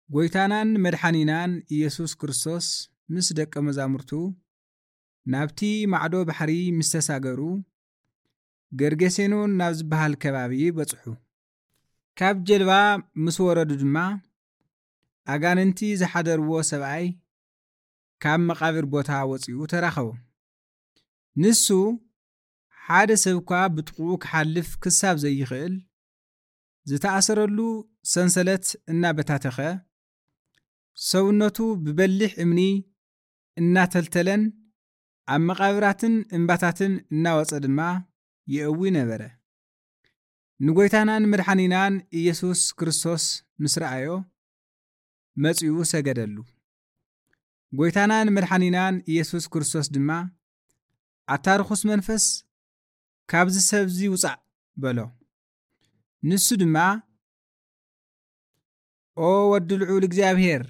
ጎይታናን መድሓኒናን ኢየሱስ ክርስቶስ ምስ ደቀ መዛሙርቱ ናብቲ ማዕዶ ባሕሪ ምስ ተሳገሩ፣ ገርጌሴኖን ናብ ዝበሃል ከባቢ በጽሑ። ካብ ጀልባ ምስ ወረዱ ድማ፣ ኣጋንንቲ ዝሓደርዎ ሰብኣይ ካብ መቓብር ቦታ ወጺኡ ተራኸቦም። ንሱ ሓደ ሰብ እኳ ብጥቕኡ ክሓልፍ ክሳብ ዘይኽእል፣ ዝተኣሰረሉ ሰንሰለት እናበታተኸ፣ ሰውነቱ ብበሊሕ እምኒ እናተልተለን ኣብ መቓብራትን እምባታትን እናወጸ ድማ ይእዊ ነበረ። ንጎይታናን መድሓኒናን ኢየሱስ ክርስቶስ ምስ ረኣዮ፣ መጺኡ ሰገደሉ። ጎይታናን መድሓኒናን ኢየሱስ ክርስቶስ ድማ፣ "ኣታ ርኹስ መንፈስ፣ ካብዚ ሰብዚ ውጻእ!" በሎ። ንሱ ድማ፣ "ኦ ወዲ ልዑል እግዚኣብሔር፣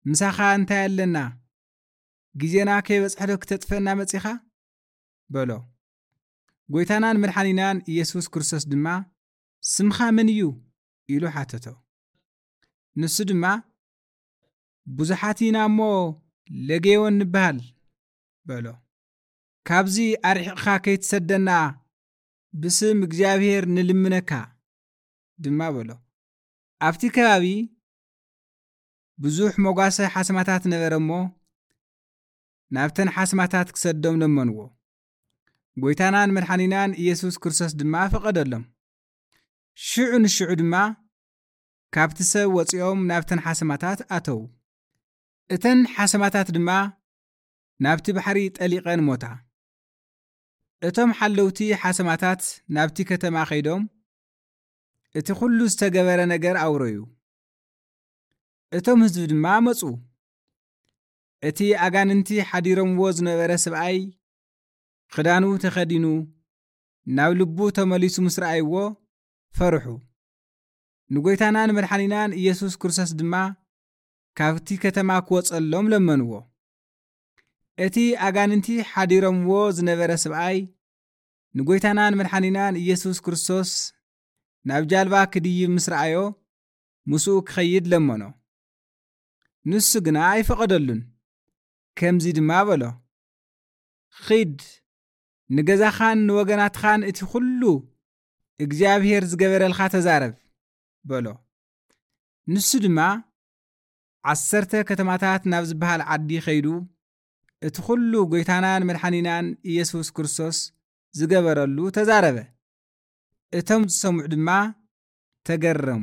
ምሳኻ እንታይ ኣለና? ግዜና ከይበጽሐ ዶ ክተጥፍአና መጺኻ?" በሎ። ጎይታናን መድሓኒናን ኢየሱስ ክርስቶስ ድማ፣ "ስምኻ መን እዩ?" ኢሉ ሓተቶ። ንሱ ድማ፣ "ብዙሓት ኢና እሞ ለጌዮን ንበሃል" በሎ። "ካብዚ ኣርሒቕካ ከይትሰደና ብስም እግዚኣብሔር ንልምነካ" ድማ በሎ። ኣብቲ ከባቢ ብዙሕ መጓሰ ሓስማታት ነበረ እሞ፣ ናብተን ሓስማታት ክሰዶም ለመንዎ። ጎይታናን መድሓኒናን ኢየሱስ ክርስቶስ ድማ ፈቐደሎም። ሽዑ ንሽዑ ድማ ካብቲ ሰብ ወጺኦም ናብተን ሓስማታት ኣተዉ። እተን ሓስማታት ድማ ናብቲ ባሕሪ ጠሊቐን ሞታ። እቶም ሓለውቲ ሓስማታት ናብቲ ከተማ ከይዶም፣ እቲ ኩሉ ዝተገበረ ነገር ኣውረዩ። እቶም ህዝቢ ድማ መጹ። እቲ ኣጋንንቲ ሓዲሮምዎ ዝነበረ ሰብኣይ ክዳኑ ተኸዲኑ ናብ ልቡ ተመሊሱ ምስ ረኣይዎ ፈርሑ። ንጎይታናን መድሓኒናን ኢየሱስ ክርስቶስ ድማ ካብቲ ከተማ ክወጸሎም ለመንዎ። እቲ ኣጋንንቲ ሓዲሮምዎ ዝነበረ ሰብኣይ ንጎይታናን መድሓኒናን ኢየሱስ ክርስቶስ ናብ ጃልባ ክድይብ ምስ ረኣዮ፣ ምስኡ ክኸይድ ለመኖ። ንሱ ግና ኣይፈቐደሉን። ከምዚ ድማ በሎ፣ "ኺድ፣ ንገዛኻን ንወገናትኻን እቲ ኹሉ እግዚኣብሔር ዝገበረልካ ተዛረብ" በሎ። ንሱ ድማ ዓሰርተ ከተማታት ናብ ዝበሃል ዓዲ ኸይዱ፣ እቲ ኹሉ ጎይታናን መድሓኒናን ኢየሱስ ክርስቶስ ዝገበረሉ ተዛረበ። እቶም ዝሰምዑ ድማ ተገረሙ።